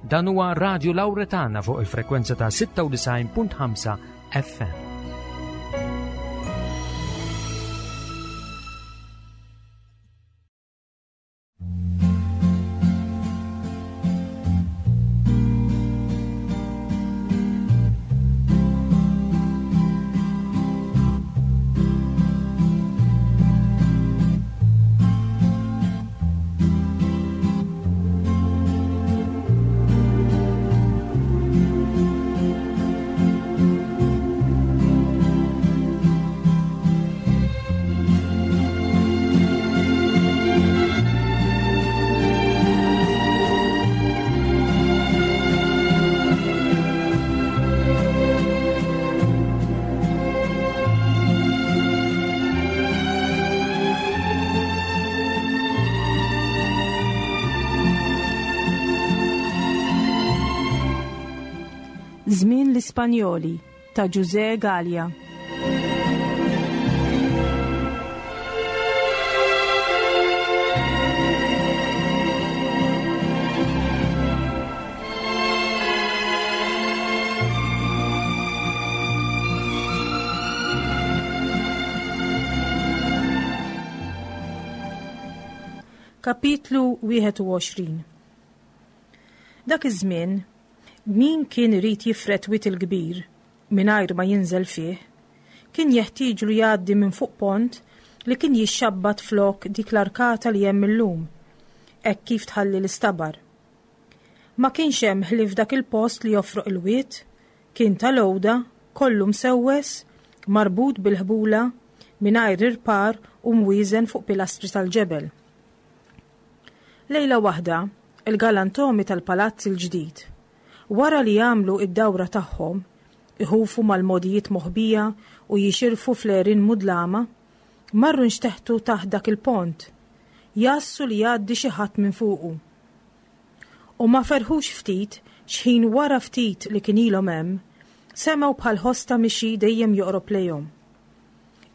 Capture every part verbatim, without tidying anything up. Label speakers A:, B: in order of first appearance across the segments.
A: Dan huwa Radio Lauretana fuq il-frekwenza ta' sitta u disgħin punt ħamsa F M.
B: Żmien l-Ispanjoli ta' Ġużè Galea. Kapitlu wieħed u għoxrin. Dak iż-żmien, min kien irid jifred Wied il-Kbir mingħajr ma jinżel fih, kien jeħtieġlu jgħaddi minn fuq pont li kien jixxabbat flok dik l-arkata li hemm illum, hekk kif tħalli l-istabar. Ma kienx hemm ħlief dak il-post li jofroq il-wied, kien tal-għoda, kollu msewwes, marbut bil-ħbula, mingħajr irpar u mwieżen fuq pilastri tal-ġebel. Lejla waħda, il-galantomi tal-palazz il-ġdid, wara li jagħmlu id-dawra tagħhom, iħufu mal-mogħdijiet moħbija u jixirfu fl-għerien mudlama, marru nxteħtu taħt dak il-pont, jgħassu li jgħaddi xi ħadd minn fuqu. U ma ferħux ftit xħin wara ftit li kien ilhom hemm, semgħu bħal ħoss ta' mixi dejjem joqrob lejhom.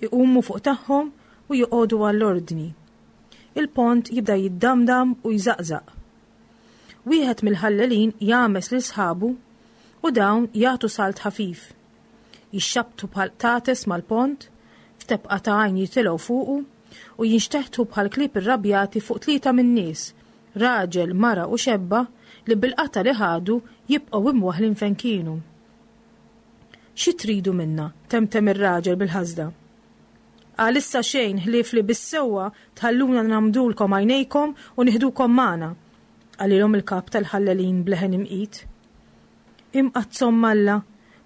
B: Iqumu fuq tagħhom u joqogħdu għall-ordni. Il-pont jibda jiddamdam u jżaqżaq. Wieħed mill-ħallelin jagħmes lil sħabu u dawn jagħtu salt ħafif. Jixxabtu bħal qtates mal-pont, f'tebqa ta' għajn jitilgħu fuqu u jinxteħtu bħal klieb irrabjati fuq tlieta min-nies, raġel, mara u xebba li bil-qata li ħadu jibqgħu imwaħlin fejn kienu. "Xi tridu minna?" temtem ir-raġel bil-ħasda. "Għalissa xejn ħlief li bis-sewwa tħalluna ngħammdulkom għajnejkom u nieħdukom magħna," qalilhom il-kap tal-ħallelin b'leħen imqit. "Imqaddsa Omm Alla,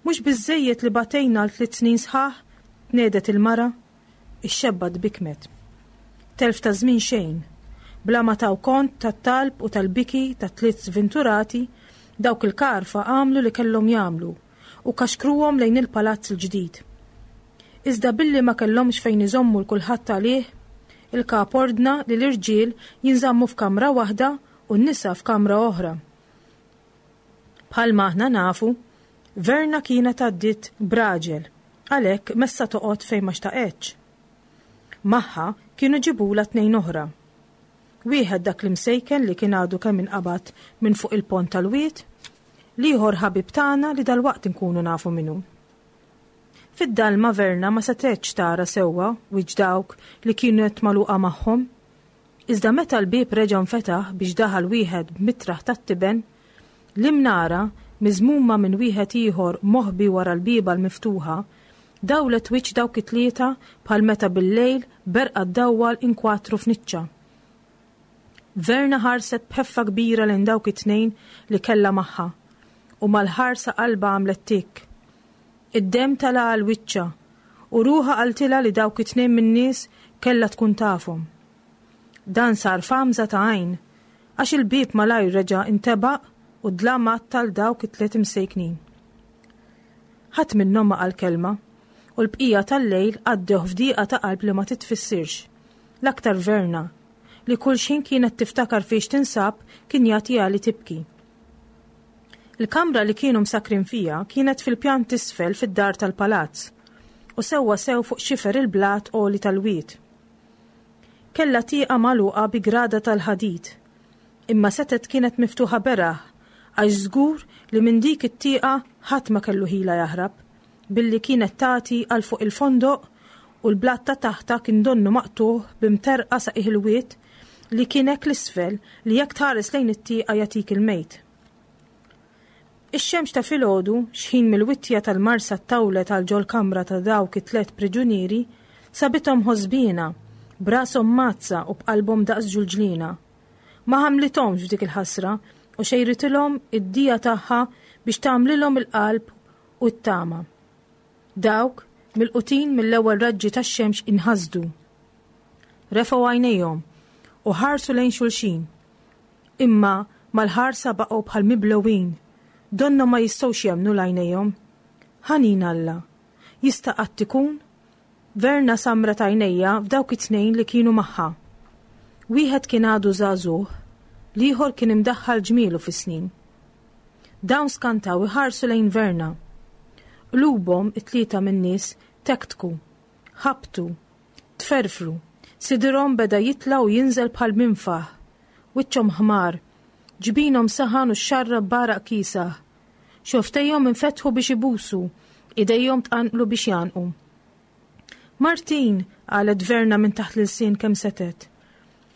B: mhux biżejjed li batejna għal tliet snin sħaħ?" tnehdet il-mara. Ix-xebba tbikmet. Telf ta' żmien xejn. Bla ma taw kont tat-talb u tal-biki ta' tliet sventurati, dawk il-karfa għamlu li kellhom jagħmlu u kaxkruhom lejn il-palazz il-ġdid. Iżda billi ma kellhomx fejn iżommu 'l kulħadd għalih, il-kap ordna li l-irġiel jinżammu f'kamra waħda u n-nisa f'kamra oħra. Bħalma aħna nafu, Verna kienet għaddit b'raġel, għalhekk messa toqgħod fejn ma xtaqetx. Magħha kienu ġibula tnejn oħra. Wieħed dak li msejken li kien għadu kemm inqabad minn fuq il-pont tal-wied, l-ieħor ħabib tagħna li dal-waqt inkunu nafu minnu. Fid-dalma Verna ma setgħetx tara sewwa wiċċ dawk li kienu qed magħluqa magħhom. Iżda meta l-bieb reġa' nfetaħ biex daħal wieħed b'mitraħ tat-tiben, l-imnara miżmuma minn wieħed ieħor moħbi wara l-bieba l-miftuħa, dawlet wiċċ dawk it-tlieta bħal meta bil-lejl berqa ddawwal inkwatru f'niċċa. Verna ħarset b'ħeffa kbira lejn dawk it-tnejn li kellha magħha u mal-ħarsa qalba għamlet tik. Id-dem tala' għal wiċċha u ruħha qaltilha li dawk it-tnejn min-nies kellha tkun tafhom. Dan sar f'għamża ta' għajn, għax il-bieb malajr reġa' intebaq u dlam għatta 'l dawk it-tliet imsejknin. Ħadd minnhom ma qal kelma u l-bqija tal-lejl għaddew f'diqa ta' qalb li ma titfissirx. L-aktar Verna, li kull xħin kienet tiftakar fiex tinsab kien jagħtiha li tibki. Il-kamra li kienu msakrin fija kienet fil-pjan t'isfel fid-dar tal-palazz u sewwa sew fuq xifer il-blat għoli tal-wied. Kella tieqa magħluqa bi grada tal-ħadid, imma setet kienet miftuħa beraħ għax żgur li minn dik it-tieqa ħadd ma kellu ħila jaħrab, billi kienet tagħti għal fuq il-fondoq u l-blat ta' taħtha kien donnu maqtugħ b'imterqa sa qiegħ il-wied li kien hekk l-isfel li jekk tħares lejn it-tieqa jagħtik il-mejt. Ix-xemx ta' filgħodu, xħin mill-wittja tal-marsa ttawlet għal ġol-kamra ta' dawk it-tliet priġunieri, sabithom ħosbiena, b'rashom mgħaddsa u b'qalbhom daqs ġulġliena. Ma ħamlithomx f'dik il-ħasra u xejritilhom id-dija tagħha biex tagħmlilhom il-qalb u t-tama. Dawk, milqutin mill-ewwel raġġi tax-xemx inħasdu. Refgħu għajnejhom u ħarsu lejn xulxin. Imma mal-ħarsa baqgħu bħal miblewin, donnhom ma jistgħux jemmnu l-għajnejhom. Ħanin Alla! Jista' qatt ikun? Verna samret għajnejha f'dawk it-tnejn li kienu magħha. Wieħed kien għadu żagħżugħ, l-ieħor kien imdaħħal ġmielu fis-snin. Dawn skantaw iħarsu lejn Verna. Qlubhom it-tlieta min-nies tektku, ħabtu, tferfru, sidirhom beda jitla' u jinżel bħal minfaħ, wiċċhom ħmar, ġbinhom saħan u xxarrab b'għaraq kiesaħ. Xofftejhom infetħu biex ibusu, idejhom tqanqlu biex jgħannqu. Martin! qalet Verna minn taħt l-ilsien kemm setgħet.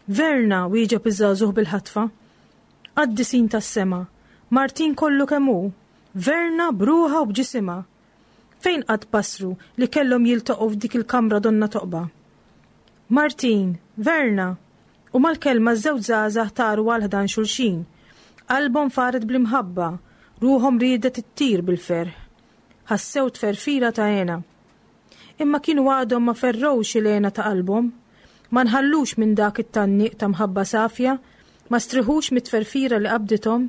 B: Verna! wieġeb iż-żagħżugħ bil-ħatfa. Qaddisin tas-sema! Martin kollu kemm hu! Verna b'ruħha u b'ġisimha! Fejn qatt basru li kellhom jiltaqgħu f'dik il-kamra donnha toqba? Martin! Verna! U mal-kelma ż-żewġ żgħażagħ taru għal ħdan xulxin. Qalbhom faret bl-imħabba, ruħhom riedet ittir bil-ferħ. Ħassew tferfira ta' hena. Imma kienu għadhom ma ferrewx il-hena ta' qalbhom, ma nħallux minn dak it-tgħanniq ta' mħabba safja, ma striħux mit-tferfira li qabdithom,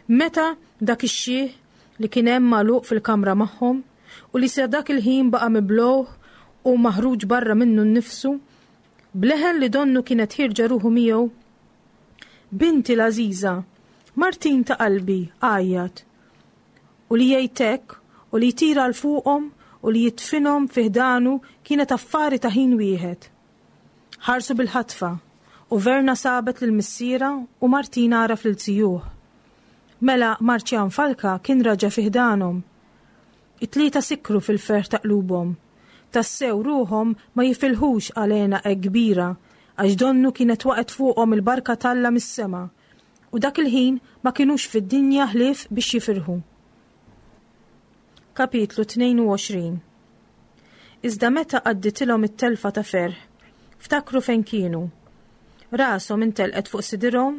B: meta dak ix-xiħ li kien hemm magħluq fil-kamra magħhom u li sa dak il-ħin baqa' miblugħ u maħruġ barra minnu nnifsu, b'leħen li donnu kienet ħierġa ruħu miegħu. Binti l-għażiża, Martin ta' qalbi, għajjat. U li jgħid hekk, u li jtir għal fuqhom u li jidfinhom fi ħdanu kienet affari ta' ħin wieħed. Ħarsu bil-ħatfa, u Verna sabet lil missierha u Martin għaraf lil zijuh. Mela Marċjan Falka kien raġa' fi ħdanhom. It-tlieta sikru fil-ferħ ta' qlubhom. Tassew ruħhom ma jifilħux għal hena hekk kbira, għax donnu kienet waqgħet fuqhom il-barka t'Alla mis-sema, u dak il-ħin ma kinux fid-dinja ħlief biex jifirħu. Kapitlu tnejn u għoxrin Iżda meta għadditilhom it-telfa ta' ferħ, ftakru fejn kienu. Rashom intelqet fuq sidirhom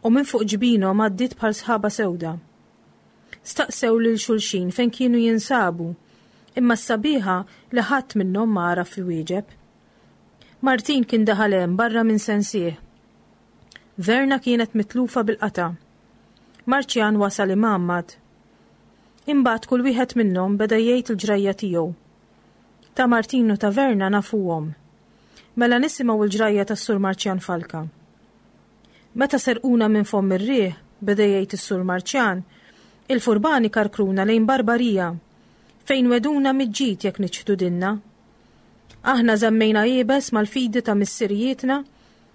B: u minn fuq ġbinhom għaddiet bħal sħaba sewda. Staqsew lil xulxin fejn kienu jinsabu, imma s-sabiħa li ħadd minnhom ma għaraf iwieġeb. Martin kien daħal hemm barra minn sensih. Verna kienet mitlufa bil-qata'. Marċjan wasal imgħammad. Imbagħad kull wieħed minnhom beda jgħid il-ġrajja tiegħu. Ta' Martin u ta' Verna nafuhom. Mela nisimgħu l-ġrajja tas-Sur Marċjan Falka. Meta serquna minn fomm ir-riħ, beda jgħid is-Sur Marċjan, il-furbani karkruna lejn Barbarija, fejn weduna miġġid jekk niċħdu dinna. Aħna żammejna iebes mal-fidi ta' missirijietna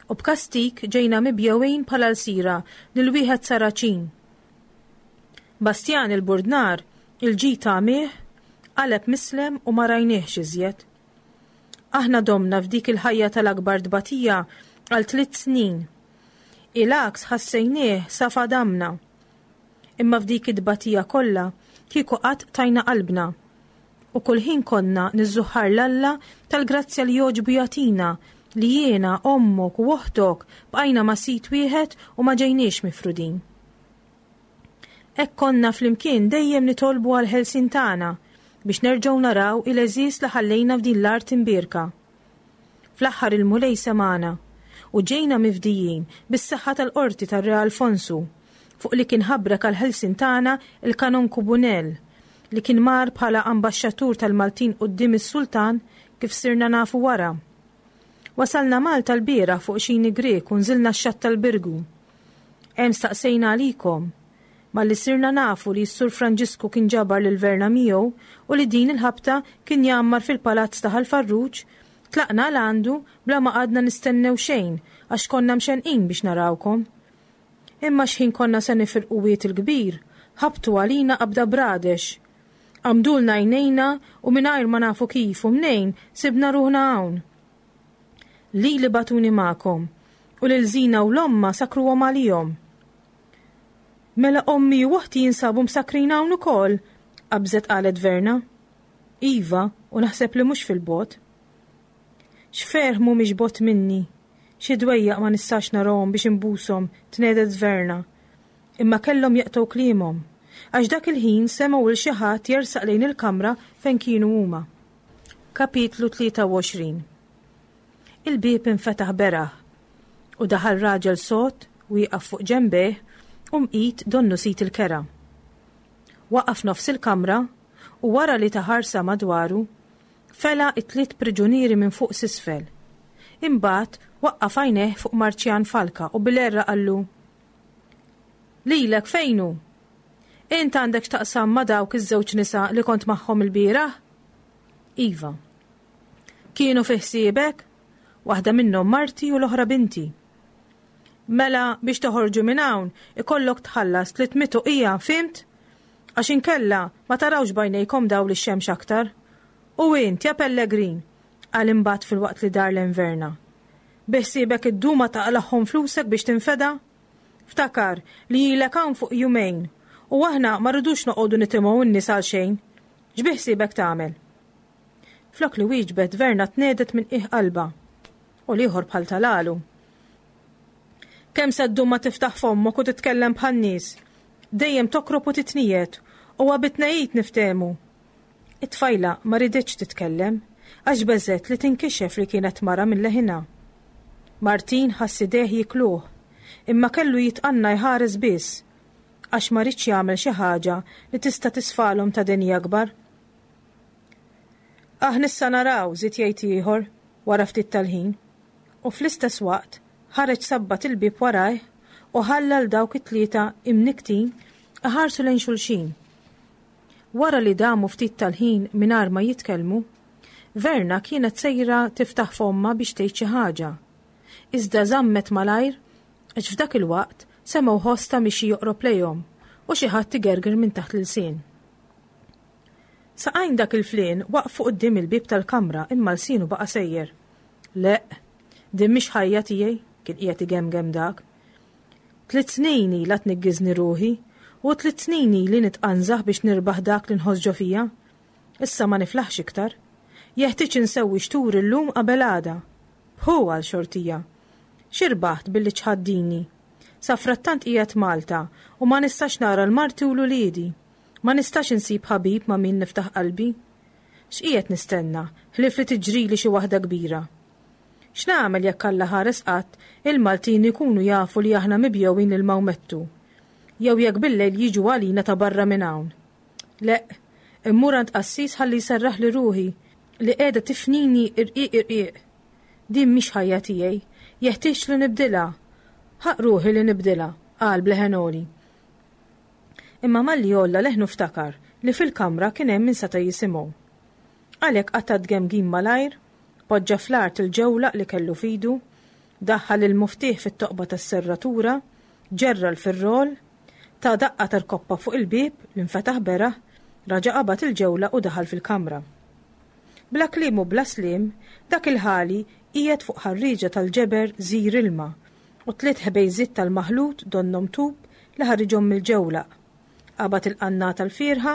B: u b'kastig ġejna mibjewin bħala lsira lil wieħed Saraċin. Bastjan il-Burdnar, il-ġid għamih, qaleb mislem u ma rajniehx iżjed. Aħna domna f'dik il-ħajja tal-akbar tbatija għal tliet snin. Il-għaks ħassejnieh sa fadamna. Imma f'dik it-tbatija kollha kieku qatt tajna qalbna. U kull ħin konna niżżuħħar 'l Alla tal-grazzja li jogħġbu jagħtina li jiena, ommok u oħtok bqajna ma' sid wieħed u ma ġejniex mifrudin. Hekk konna flimkien dejjem nitolbu għall-ħelsien tagħna biex nerġgħu naraw il-għeżież li ħallejna f'din l-art imbierka. Fl-aħħar il-Mulej semagħna u ġejna mifdijin bis-saħħa tal-qorti tar-Re Alfonsu fuq li kien ħabrek għall-ħelsien tagħna il-Kanonku Bunel li kien mar bħala ambaxxatur tal-Maltin quddiem is-Sultan kif sirna nafu wara. Wasalna Malta l-bieraħ fuq xini Grieg u nżilna x-xatt tal-Birgu. Hemm staqsejna għalikom. Malli sirna nafu li s-Sur Franġisku kien ġabar lil Verna miegħu u li din il-ħabta kien jgħammar fil-palazz ta' Ħal Farruġ, tlaqna għal għandu bla ma qgħadna nistennew xejn għax konna mxenqin biex narawkom. Imma xħin konna se nifirqu Wied il-Kbir, Ħabtu għalina qabda bradex. Għamdulna għajnejna u mingħajr ma nafu kif u mnejn sibna ruħna hawn. Lili bagħtuni magħkom u lil Zina u 'l ommha sakkruhom għalihom. Mela ommi u oħti jinsabu msakkrin hawn ukoll, qabżet qalet Verna. Iva, u naħseb li mhux fil-bogħod. X'ferħ mhumiex bogħod minni. Xi dwejjaq ma nistax narahom biex inbushom, tnehdet Verna. Imma kellhom jaqtgħu kliemhom, għax dak il-ħin semgħu 'l xi ħadd jersaq lejn il-kamra fejn kienu huma. Kapitlu tlieta u għoxrin. Il-bieb infetaħ beraħ u daħal raġel sod wieqaf fuq ġenbejh u mqit donnu sid il-kera. Waqaf nofs il-kamra u wara li ta ħarsa madwaru, fela t-tliet priġunieri minn fuq s'isfel. Imbagħad waqqaf għajnejh fuq Marċjan Falka u bil-għerra qallu, Lilek fejn hu? Int għandek x'taqsam ma' dawk iż-żewġ nisa li kont magħhom ilbieraħ? Iva. Kienu fi ħsiebek? Waħda minnhom marti u l-oħra binti. Mela biex toħorġu minn hawn ikollok tħallas tliet mitt uqija, fhimt? Għax inkella ma tarawx b'għajnejkom dawl ix-xemx aktar. U int, ja Pellegrin, qal imbagħad filwaqt li dar lejn Verna. Bi ħsiebek iddum ma taqlagħhom flusek biex tinfeda? Ftakar li ilek hawn fuq jumejn u aħna ma rridux noqogħdu nitimgħu n-nies għal xejn. X'bi ħsiebek tagħmel? Flok li wieġbet Verna tnehdet minn qiegħ qalbha u l-ieħor bħal talalu. Kemm se ddum ma tiftaħ fommok u titkellem bħan-nies? Dejjem tokrob u titniegħed u għabitnejit niftehmu. It-tfajla ma riditx titkellem għax beżgħet li tinkixef li kienet mara minn leħinha. Martin ħass idejh jikluh, imma kellu jitqanna jħares biss għax ma ridx jagħmel xi ħaġa li tista' tisfalhom ta' deni akbar. Aħ nissa naraw, żied jgħid ieħor wara ftit tal-ħin, u fl-istess waqt ħareġ sabbat il-bieb warajh u ħalla l dawk it-tlieta imniktin iħarsu lejn xulxin. Wara li damu ftit tal-ħin mingħajr ma jitkellmu, Verna kienet sejra tiftaħ fomma biex tgħid xi ħaġa. Iżda żammet malajr għax f'dak il-waqt semgħu ħoss ta' mixi joqrob lejhom u xi ħadd igerger minn taħt l-ilsien. Saqajn dak il-flien waqfu quddiem il-bieb tal-kamra imma lsienu baqa' sejjer. Le, din mhix ħajja tiegħi, kien qiegħed igemgem dak. Tliet snin ilha tniggiżni ruħi u tliet snin ili nitqanżaħ biex nirbaħ dak li nħoss ġo fija. Issa ma niflaħx iktar. Jeħtieġ insewwi xtur illum qabel għada. Hu għal xortija. X'irbaħt billi ċħaddini? Sa frattant qiegħed Malta u ma nistax nara l-marti u l-uliedi. Ma nistax insib ħabib ma' min niftaħ qalbi. X'qiegħed nistenna ħlief li tiġrili xi waħda kbira? X'nagħmel jekk Alla ħares qatt il-Maltin ikunu jafu li aħna mibjewin lil Mawmettu? Jew jekk bil-lejl jiġu għalina ta' barra minn hawn? Le, immur għand qassis ħalli jserraħ li ruħi li qiegħda tifnini irqiq irqiq. Din mhix ħajja tiegħi, jeħtieġ li nibdilha. Ħaq ruħi li nibdilha, qal bleħen għoli. Imma malli għolla leħnu ftakar li fil-kamra kien hemm min seta' jisimgħu. Għalhekk qata' tgemgim malajr, poġġa fl-art il-ġewlaq li kellu fidu, daħħal il-muftieħ fit-toqba tas-serratura, ġerra l-firrol, ta' daqqa tal-koppa fuq il-bieb li nfetaħ beraħ, raġa' qabad il-ġewla u daħal fil-kamra. Bla kliem u bla sliem, dak il-ħali qiegħed fuq ħarrieġa tal-ġeber żir ilma u tliet ħbejżiet tal-maħlut donnhom tub li ħariġhom mill-ġewlaq. Qabad il-qannata l-fierħa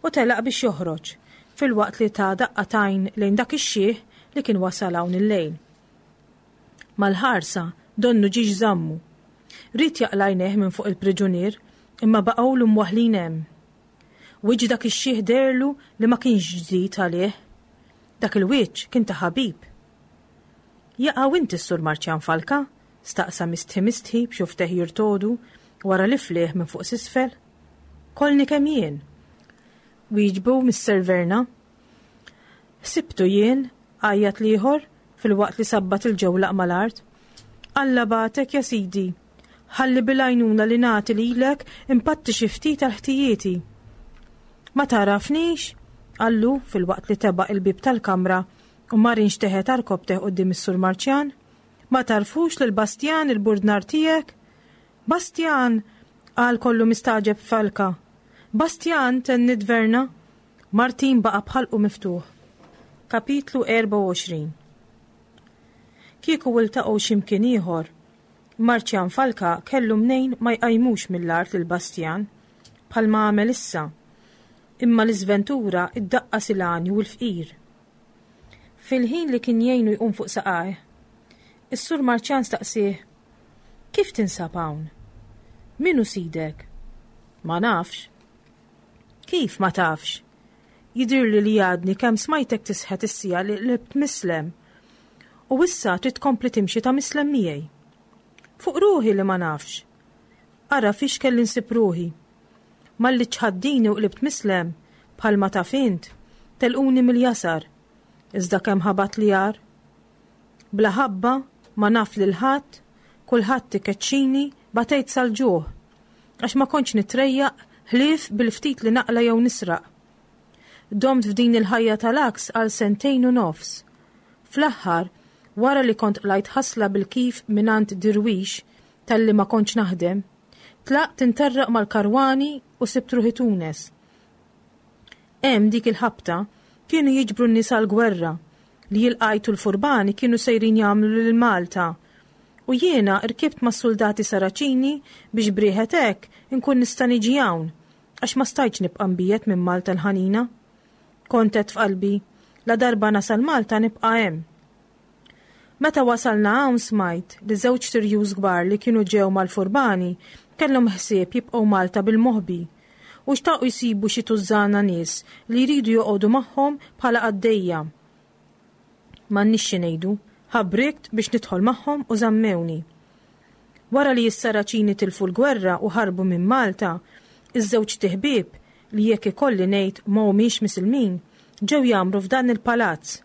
B: u telaq biex joħroġ, filwaqt li ta daqqa t'għajn lejn dak ix-xiħ li kien wasal hawn il-lejl. Mal-ħarsa donnu ġiex żammu. Ried jaqla' għajnejh minn fuq il-priġunier imma baqgħulu mwaħħlin hemm. Wiċċ dak ix-xiħ deherlu li ma kienx ġdid għalih. Dak il-wiċċ kien ta' ħabib. Jaqaw inti s-Sur Marċjan Falka? Staqsa mistħi mistħi b'xufteh jirtodu wara li flieh minn fuq s'isfel. Kollni kemm jien. Wieġbu Mister Verna. Ħsibtu jien, għajjat l-ieħor filwaqt li sabbat il-ġewlaq mal-art. Alla bagħtek ja sidi. Ħalli bil-għajnuna li nagħti lilek impatti xi ftit għal ħtijieti. Ma tarafnix? Qallu filwaqt li tebaq il-bieb tal-kamra u mar inxteħet għarkoppteh quddiem is-Sur Marċjan. Ma tarfux lil Bastjan il-burdnar tiegħek? Bastjan! Qal kollu mistaġeb Falka. Bastjan, tenniet Verna. Martin baqa' b'ħalqu miftuħ. Kapitlu erbgħa u għoxrin. Kieku iltaqgħu xi mkien ieħor, Marċjan Falka kellu mnejn ma jqajmux mill-art lil Bastjan, bħalma għamel issa. Imma l-iżventura iddaqqas il-għani u l-fqir. Fil-ħin li kien jgħinu jqum fuq saqajh, is-Sur Marċjan staqsieh, Kif tinsab hawn? Min hu sidek? Ma nafx. Kif ma tafx? Jidhirli li għadni kemm smajtek tisħet is-siegħa li qlibt mislem. U issa trid tkompli timxi ta' mislem miegħi. Fuq ruħi li ma nafx. Ara fiex kelli nsib ruħi. Malli ċħaddini u qlibt mislem, bħalma taf int, telquni mill-jasar. Iżda kemm ħabat li jar. Bla ħabba, ma naf lil ħadd, kulħadd ikeċċini, batejt sal-ġuħ. Għax ma kontx nitrejjaq ħlief bil-ftit li naqla jew nisraq. Domt f'din il-ħajja tal-għaks għal sentejn u nofs. Fl-aħħar, wara li kont qlajt ħasla bil-kif mingħand dirwix talli ma kontx naħdem, tlaqt interraq mal-karwani u sibt ruħi Tunes. Hemm dik il-ħabta kienu jiġbru n-nies għall-gwerra li jilqajtu l-furbani kienu sejrin jagħmlu lil Malta. U jiena rkibt mas soldati Saraċini biex brieħet hekk inkun nista' niġi hawn, għax ma stajtx nibqa' mbiegħed minn Malta l-ħanina. Kont għedt f'qalbi, la darba nasal Malta nibqa' hemm. Meta wasalna hawn smajt li żewġ tirjus kbar li kienu ġew mal-furbani kellhom ħsieb jibqgħu Malta bil-moħbi u xtaqu jsibu xi tużżana nies li jridu joqogħdu magħhom bħala qaddejja. M'għandniex xi ngħidu, ħabrikt biex nidħol magħhom u żammewni. Wara li s-Saraċini tilfu l-gwerra u ħarbu minn Malta, iż-żewġ tiħbieb li jekk ikolli ngħid ma humiex misilmin, ġew jagħmru f'dan il-palazz.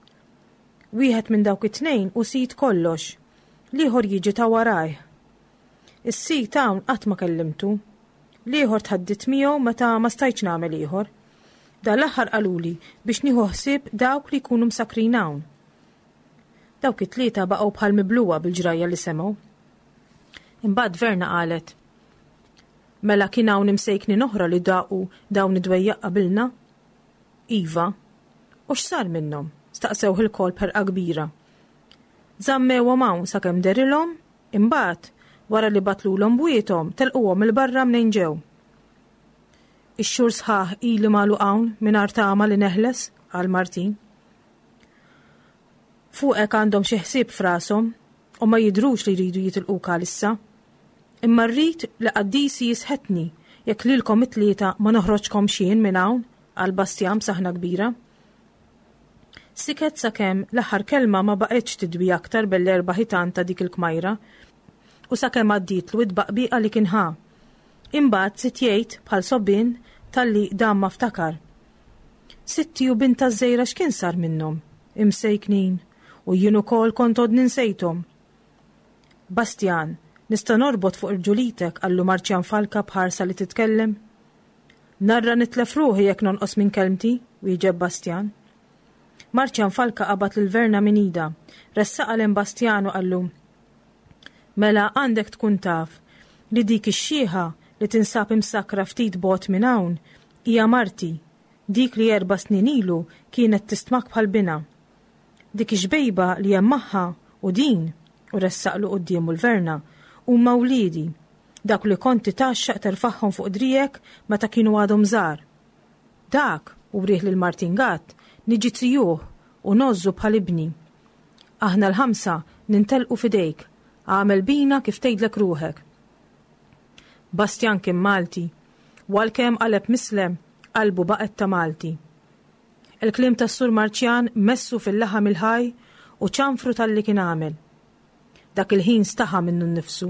B: Wieħed minn dawk it-tnejn u sid kollox, l-ieħor jiġi ta' warajh. Is-sid hawn qatt ma kellimtu. L-ieħor tħaddit miegħu meta ma stajtx nagħmel ieħor. Dan l-aħħar qaluli biex nieħu ħsieb dawk li jkunu msakrin hawn. Dawk it-tlieta baqgħu bħal mibluwa bil-ġrajja li semgħu. Imbagħad Verna qalet, Mela kien hawn imsejknin oħra li daqu dawn id-dwejjaq qabilna? Iva. U x'sar minnhom? Staqsewh ilkoll b'ħerqa kbira. Żammewhom hawn sakemm derilhom, imbagħad wara li batlulhom bwiethom telquhom 'il barra mnejn ġew. Ix-xhur sħaħ ili magħluq hawn mingħajr tama li neħles, qal Martin. Fuqek għandhom xi ħsieb f'rashom u ma jidhrux li jridu jitilquk għalissa. Imma rrid li qaddisi jisħetni jekk lilkom it-tlieta ma noħroġkomx jien minn hawn, qal Bastjan b'saħna kbira. Siket sakemm l-aħħar kelma ma baqgħetx tidwi aktar bell-erba' ħitan ta' dik il-kmajra u sakemm għaddietlu id-baqbiqa li kien ħa. Imbagħad sitt jgħid bħal sobbien talli dam ma ftakar. Sitti u binta żejra x'kien sar minnhom, imsejknin, u jien ukoll kont għodni nsejthom. Bastjan, nista' norbot fuq irġulitek, qallu Marċjan Falka b'ħarsa li titkellem. Narra nitlef ruħi jekk nonqos minn kelmti, wieġeb Bastjan. Marċjan Falka qabad lil Verna minn idha, ressaqha lejn Bastjan u qallu, Mela għandek tkun taf li dik ix-xieħa li tinsab imsakra ftit bogħod minn hawn hija marti, dik li erba' snin ilu kienet tistmak bħal binha. Dik ix-xbejba li hemm magħha u din, u ressaqlu quddiemu l-Verna, huma wliedi, dak li kont titgħaxxaq terfagħhom fuq driegħek meta kienu għadhom żgħar. Dak, u wrieh lil Martin Gatt, niġi zijuh u ngħożżu bħal ibni. Aħna l-ħamsa nintelqu f'idejk, għamel bina kif tgħidlek ruħek. Bastjan kien Malti, u għalkemm qaleb mislem, qalbu baqgħet ta' Malti. Il-kliem tas-Sur Marċjan messu fil-laħam il-ħaj u ċanfru talli kien għamel. Dak il-ħin staħa minnu nnifsu.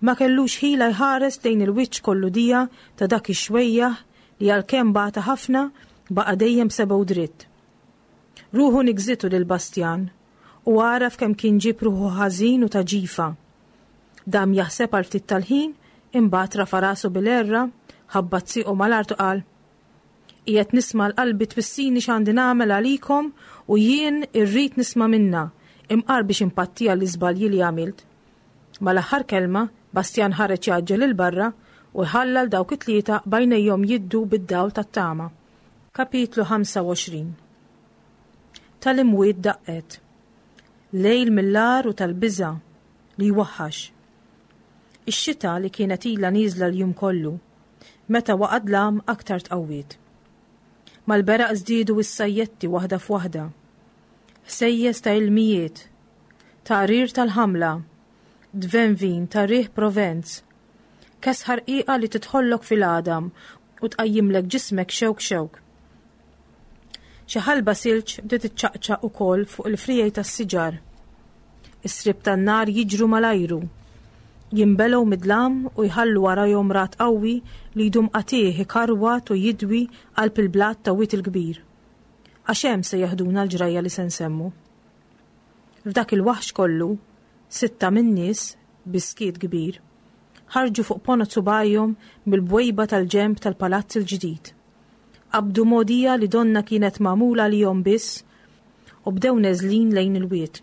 B: Ma kellux ħila jħares lejn il-wiċċ kollu dija ta' dak ix-xwejjaħ li għalkemm bata ħafna baqa' dejjem sebgħu dritt. Ruħu nigżitu lil Bastjan u għaraf kemm kien ġib ruħu ħażin u ta' ġifa. Dam jaħseb għal ftit tal-ħin, imbagħad rafa' rasu bil-erra, ħabbat siequ mal-art u qal, Qiegħed nisma' l-qalbi twissini x'għandi nagħmel għalikom u jien irrid nisma' minnha, imqar biex impattiha l-iżbalji li għamilt. Mal-aħħar kelma, Bastjan ħareġ jgħaġġel 'il barra u ħalla 'l dawk it-tlieta b'għajnejhom jiddu bid-dawl tat-tama. Kapitlu ħamsa u għoxrin Tal-imwiet daqqet. Lejl mill-agħar u tal-biża' li jwaħħax. Ix-xita li kienet ilha nieżla l-jum kollu, meta waqa' dlam aktar tqawwiet. Mal-beraq żdiedu s-sajjetti waħda f'waħda. Ħsejjes ta' ilmijiet, taqrir tal-ħamla, dvenvin ta' riħ Provenz, kesħa rqiqa li tidħollok fil-għadam u tqajjimlek ġismek xewk xewk. Xi ħalba silġ bdiet iċċaqċaq ukoll fuq il-friegħi tas-siġar. Is-sriep tan-nar jiġru mal-ajru, jinbelgħu mid-dlam u jħallu warajhom ragħad qawwi li jdum qatigħ ikarwat u jidwi qalb il-blat ta' Wied il-Kbir. Għax hemm se jeħduna l-ġrajja li se nsemmu. F'dak il-waħx kollu, sitta min-nies, bi skiet kbir, ħarġu fuq ponot subgħajhom mill-bwejba tal-ġenb tal-palazz il-ġdid. Qabdu mogħdija li donnha kienet magħmula għalihom biss u bdew neżlin lejn il-wied.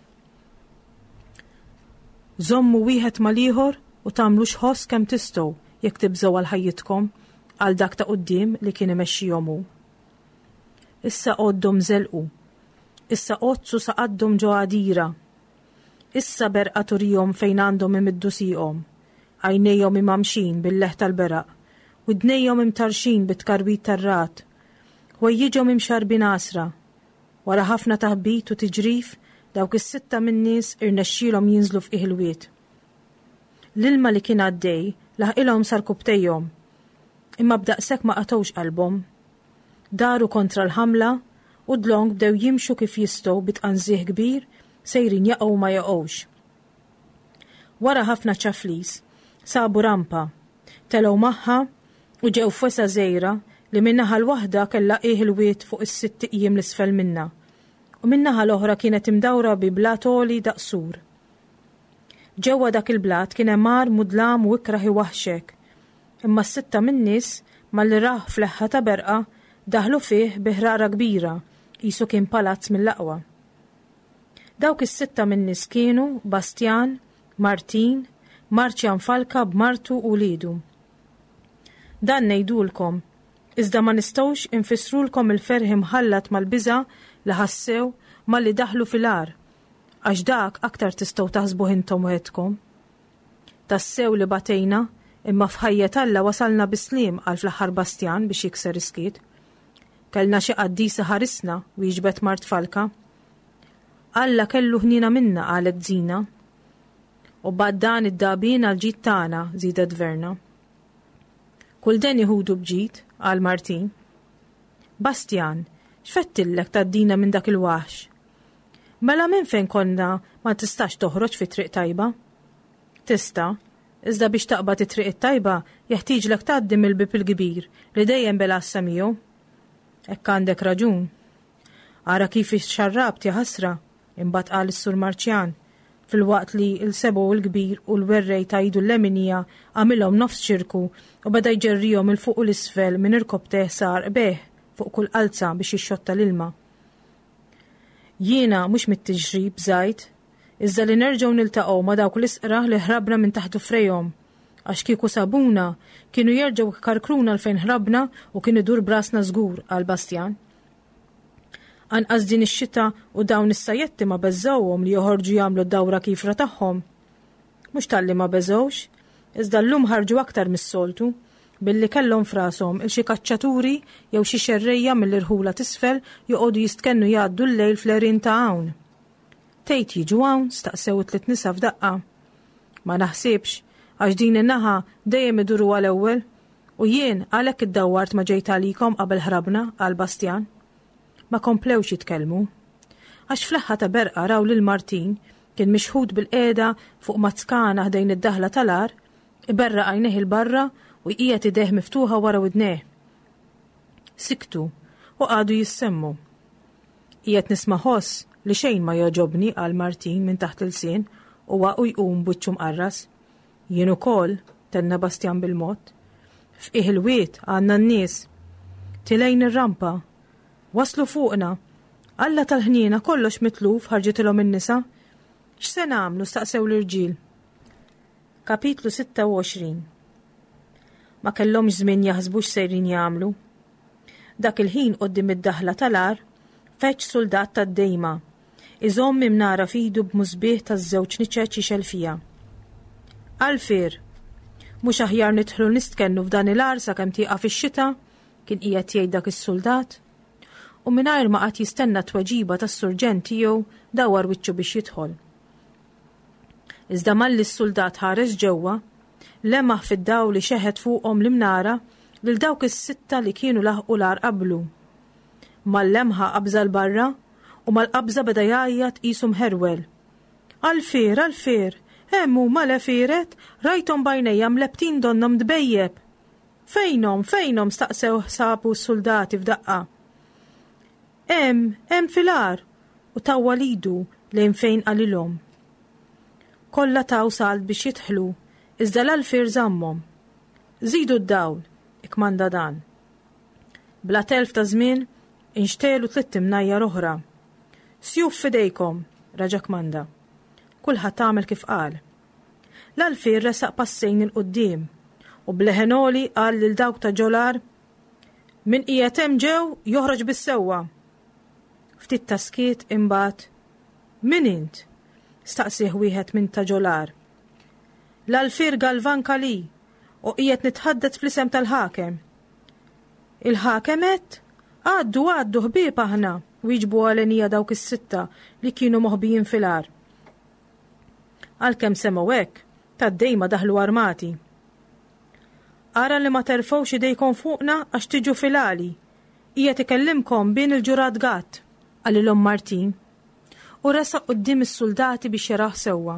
B: Żommu wieħed mal-ieħor u tagħmlux ħoss kemm tistgħu jekk tibżgħu għal ħajjitkom, qal dak ta' quddiem li kien imexxihom hu. Issa għoddhom żelqu. Issa għoddsu sa qaddhom ġo għadira. Issa berqa turihom fejn għandhom imiddu sieqhom. Għajnejhom imgħammxin bil-leħ tal-beraq, widnejhom imtarrxin bit-tkarwit tar-ragħad, ħwejjiġhom imxarrbin għasra. Wara ħafna taħbit u tiġrif, dawk is-sitta min-nies irnexxielhom jinżlu f'qiegħ il-wied. L-ilma li kien għaddej laħqilhom sa rkubbtejhom, imma b'daqshekk ma qatgħux qalbhom. Daru kontra l-ħamla u dlonk bdew jimxu kif jistgħu bi tqanżih kbir, sejrin jaqgħu ma jaqgħux. Wara ħafna ċaflis, sabu rampa, telgħu magħha u ġew f'wesgħa żgħira li min-naħa l-waħda kellha qiegħ il-wied fuq is-sitt iqjiem 'l isfel minnha, u min-naħa l-oħra kienet imdawra bi blat għoli daqs sur. Ġewwa dak il-blat kien hemm għar mudlam u ikrah iwaħħxek, imma s-sitta min-nies malli rawh f'leħħa ta' berqa daħlu fih bi ħrara kbira, qisu kien palazz mill-aqwa. Dawk is-sitta min-nies kienu Bastjan, Martin, Marċjan Falka b'martu u wliedu. Dan ngħidulkom, iżda ma nistgħux infissrulkom il-ferħ imħallat mal-biża' li ħassew malli daħlu fil-għar, għax dak aktar tistgħu taħsbuh intom weħedkom. Tassew li batejna, imma f'ħajjet Alla wasalna bis-sliem, qal fl-aħħar Bastjan biex jikser is-skiet. Kellna xi qaddis iħarisna, wieġbet mart Falka. Alla kellu ħniena minna, qalet Zina. U bad dan id-dagħbien għall-ġid tagħna, żiedet Verna. Kull deni ħudu b'ġid, qal Martin. Bastjan, x'fettillek tgħaddina minn dak il-waħx? Mela minn fejn konna ma tistax toħroġ fi triq tajba? Tista', iżda biex taqbad it-triq it-tajba jeħtieġlek tgħaddi mill-bieb il-kbir li dejjem bil-għassa miegħu. Hekk għandek raġun. Ara kif ixxarrabt ja ħasra, imbagħad qal is-Sur Marċjan, filwaqt li l-sebgħu l-kbir u l-werrej ta' idu l-leminija għamilhom nofs ċirku u beda jġerrihom 'il fuq u 'l isfel minn irkopptejh sa għarqbejh fuq kull qalza biex jixxotta l-ilma. Jiena mhux mit-tixrib bżajt, iżda li nerġgħu niltaqgħu ma' dawk l-isqrah li ħrabna minn taħt dufrejhom, għax kieku sabuna, kienu jerġgħu jkarkruna 'l fejn ħrabna u kien idur b'rasna żgur, qal Bastjan. Anqas din ix-xita u dawn is-sajjetti ma beżgħuhom li joħorġu jagħmlu d-dawra kifra tagħhom. Mhux talli ma beżgħux, iżda llum ħarġu aktar mis-soltu, billi kellhom f'rashom il xi kaċċaturi jew xi xerrejja mill-irħula t'isfel joqogħdu jistkennu jgħaddu l-lejl fl-għerien ta' hawn. Tgħid jiġu hawn? staqsew it-tliet nisa f'daqqa. Ma naħsibx, għax din in-naħa dejjem iduruha l-ewwel, u jien għalhekk iddawwart ma ġejt għalikom qabel ħrabna, qal Bastjan. Ma komplewx jitkellmu. Għax fl-aħħa ta' berqa raw lil Martin kien mixħut bil-qiegħda fuq mazzkana ħdejn id-daħla tal-għar, iberraq għajnejh 'il barra u jqiegħed idejh miftuħa wara widnejh. Siktu u qagħdu jissemmu. Qiegħed nisma' ħoss li xejn ma jogħġobni, qal Martin minn taħt l-ilsien u waqu jqum b'wiċċu mqarras. Jien ukoll, tenna Bastjan bil-mod. F'qiegħ il-wied għandna n-nies. Tilgħin ir-rampa. Waslu fuqna. Alla tal-ħniena kollox mitluf, ħarġitilhom in-nisa. X'se nagħmlu? staqsew l-irġiel. Kapitlu sitta u għoxrin. Ma kellhomx żmien jaħsbu x'sejrin jagħmlu. Dak il-ħin quddiem id-daħla tal-għar feġġ suldat tad-dejma, iżomm imnara f'idu b'musbieħ taż-żewġ niċeċ jixgħel fiha. Alfier, mhux aħjar nidħlu nistkennu f'dan il-għar sakemm tieqaf ix-xita? Kien qiegħed jgħid dak is-suldat. U mingħajr ma qagħad jistenna t-tweġiba tas-surġent tiegħu dawwar wiċċu biex jidħol. Iżda malli s-suldat ħares ġewwa, lemaħ fid-dawl li xeħet fuqhom l-imnara lil dawk is-sitta li kienu laħqu l-għar qablu. Mal-lemħa qabża 'l barra u mal-qabża beda jgħajjat qisu mħerwel. Alfier, Alfier, hemm huma l-għefieret, rajthom b'għajnejja mlebbtin donnhom dbejjeb. Fejnhom, fejnhom staqsew sħabu s-suldati f'daqqa. Hemm, hemm fil-għar, u tawwal idu lejn fejn qalilhom. Kollha taw salt biex jidħlu, iżda l-Alfier żammhom. Żidu d-dawl, ikkmanda dan. Bla telf ta' żmien, inxtegħlu tliet imnajjar oħra. Sjuf f'idejkom, raġa' kmanda. Kulħadd għamel kif qal. L-Alfier resaq passejn 'il quddiem u b'leħen għoli qal lil dawk ta' ġol-għar, Min qiegħed hemm ġew joħroġ bis-sewwa. Ftit ta' skiet imbagħad, Min int? staqsieh wieħed minn ta' ġol-għar. L-Alfier Galvan Calì u qiegħed nitħaddet fl-isem tal-ħakem. Il-ħakem għedt? Għaddu, għaddu, ħbieb aħna, wieġbu għalenija dawk is-sitta li kienu moħbijin fil-għar. Għalkemm semgħu hekk, tad-dejma daħlu armati. Ara li ma terfgħux idejkom fuqna għax tiġu fil-għali. Qiegħed ikellimkom bin il-ġurat Gatt, qalilhom Martin, u resaq quddiem is-suldati biex jarah sewwa.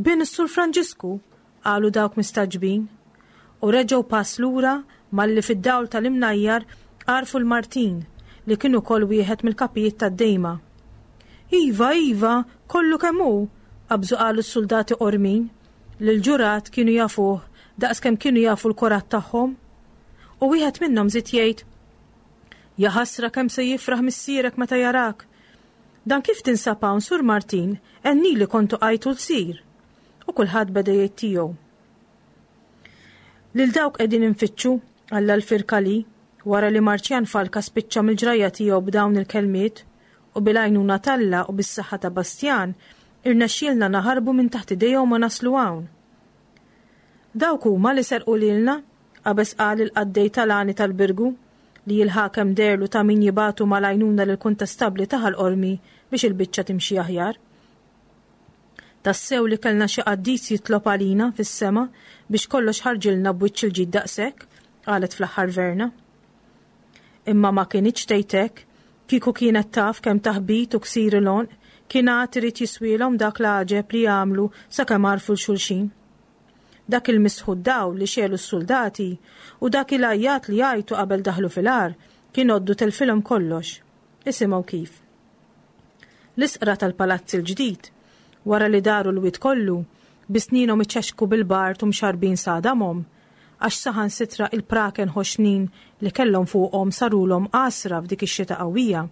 B: Bin is-Sur Franġisku, qalu dawk mistagħġbin, u reġgħu pass lura malli fid-dawl tal-imnajjar għarfu l-Martin li kien ukoll wieħed mill-kapijiet tad-dejma. Iva, iva, kollu kemm hu, qabżu qalu s-suldati qormin, li l-ġurat kienu jafuh daqskemm kienu jafu l-korat tagħhom. U wieħed minnhom żied jgħid, Ja ħasra kemm se jifraħ missierek meta jarak. Dan kif tinsab hawn, Sur Martin, enni li kontu qajtu l-sir. U kulħadd beda jgħid tiegħu. Lil dawk qegħdin infittxu, qal l-Alfier Calì, wara li Marċjan Falka spiċċa mill-ġrajja tiegħu b'dawn il-kelmiet, u bil-għajnuna t'Alla u bis-saħħa ta' Bastjan, irnexxielna naħarbu minn taħt idejhom u naslu hawn. Dawk huma li serqu lilna, qabeż qal il-qaddej tal-għani tal-Birgu, li l-ħakem deherlu ta' min jibagħtu mal-għajnuna lill-kuntestabbli ta' Ħal Qormi biex il-biċċa timxi aħjar. Tassew li kellna xi qaddis jitlob għalina fis-sema biex kollox ħarġilna b'wiċċ il-ġid daqshekk, qalet fl-aħħar Verna. Imma ma kinitx tgħid hekk, kieku kienet taf kemm taħbit u ksir il-għonq kien għad irid jiswielhom dak l-għaġeb li għamlu sakemm għarfu 'l xulxin. Dak il-misħu d-dawl li xegħlu s-suldati u dak il-għajjat li għajtu qabel daħlu fil-għar kien għoddu telfilhom kollox. Isimgħu kif. L-isqra tal-palazz il-ġdid, wara li daru l-wied kollu, bi snienhom iċexxku bil-bard u mxarrbin sa għadamhom, għax saħansitra il-praken ħoxnin li kellhom fuqhom sarulhom għasra f'dik ix-xita qawwija,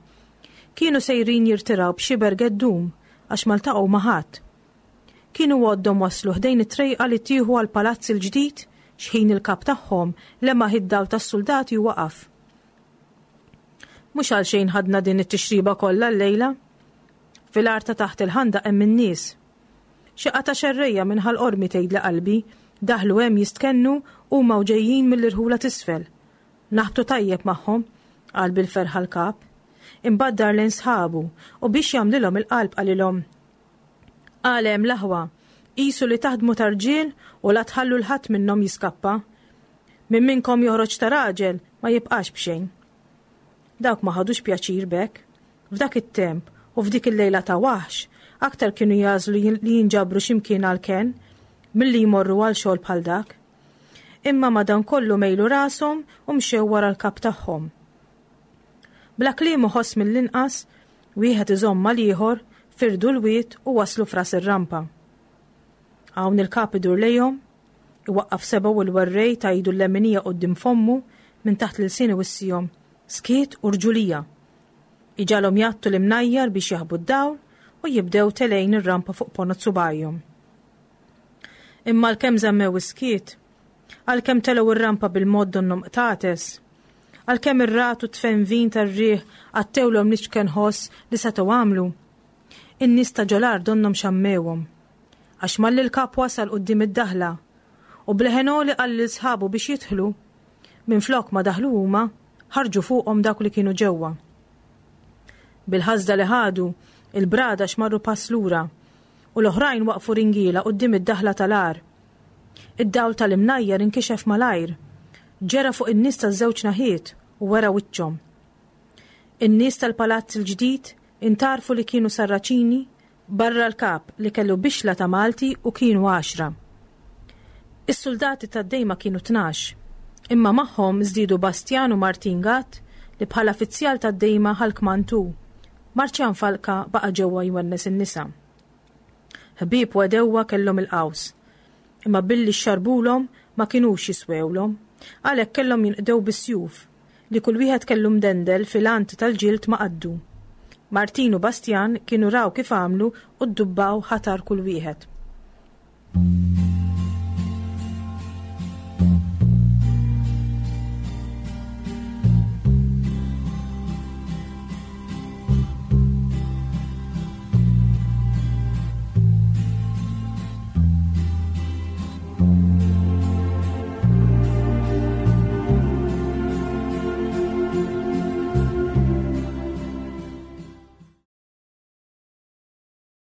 B: kienu sejrin jirtiraw b'xiber geddum għax ma ltaqgħu ma' ħadd. Kienu għoddhom waslu ħdejn it-trejqa li tieħu għall-palazz il-ġdid xħin il-kap tagħhom lemaħ id-dawl tas-suldati u waqaf. Mhux għalxejn ħadna din it-tixriba kollha llejla. Fil-għar ta' taħt il-ħandaq hemm in-nies. Xi qatgħa xerrejja minn Ħal Qormi tgħidli qalbi, daħlu hemm jistkennu huma u ġejjin mill-irħula t'isfel. Naħbtu tajjeb magħhom, qal bil-ferħa l-kap. Imbagħad dar lejn sħabu u biex jagħmlilhom il-qalb qalilhom, Qal hemm l-aħwa, qisu li taħdmu ta' rġiel u la tħallu 'l ħadd minnhom jiskappa. Min minnkom joħroġ ta' raġel ma jibqax b'xejn. Dawk ma ħadux pjaċir b'hekk. F'dak it-temp u f'dik il-lejla ta' waħx, aktar kienu jagħżlu li jinġabru xi mkien għall-kenn milli jmorru għal xogħol bħal dak. Imma madankollu mejlu rashom u mxew wara l-kap tagħhom. Bla kliem u ħoss mill-inqas, wieħed iżomm mal-ieħor, firdu l-wied u waslu f'ras ir-rampa. Hawn il-kap idur lejhom, iwaqqaf sebgħu l-werrej ta' idu l-leminija quddiem fommu minn taħt l-ilsien iwissihom, skiet u rġulija. Iġagħalhom jgħattu l-imnajjar biex jaħbu d-dawl u jibdew telgħin ir-rampa fuq ponot subgħajhom. Imma l-kemm żammew is-skiet, Għalkemm telgħu r-rampa bil-mod donnhom qtates, għalkemm ir-ragħad u t-tfenvin tar-riħ għattewlhom l-iċken ħoss li setgħu għamlu, in-nies ta' ġol-għar donnhom xammewhom. Għax malli l-kap wasal quddiem id-daħla u b'leħen għoli qal lil sħabu biex jidħlu, minflok ma daħlu huma, ħarġu fuqhom dawk li kienu ġewwa. Bil-ħasda li ħadu, il-bradax marru pass lura u l-oħrajn waqfu ringiela quddiem id-daħla tal-għar. Id-dawl tal-imnajjar inkixef malajr, ġera fuq in-nies taż-żewġ naħiet u wera wiċċhom. In-nies tal-palazz il-ġdid intgħarfu li kienu Sarraċini barra l-kap li kellu bixla ta' Malti u kienu għaxra. Is-suldati tad-dejma kienu tnax, imma magħhom żdiedu Bastjan u Martin Gatt li bħala fizzjal tad-dejma ħa l-kmand hu. Marċjan Falka baqa' ġewwa jwennes in-nisa. Ħbieb u għedewwa kellhom il-qaws, imma billi xxarbulhom ma kinux jiswewlhom, għalhekk kellhom jinqdew bis-sjuf li kull wieħed kellu mdendel fil-ant tal-ġild ma' qaddu. Martin u Bastjan kienu raw kif għamlu u ddubbaw ħatar kull wieħed.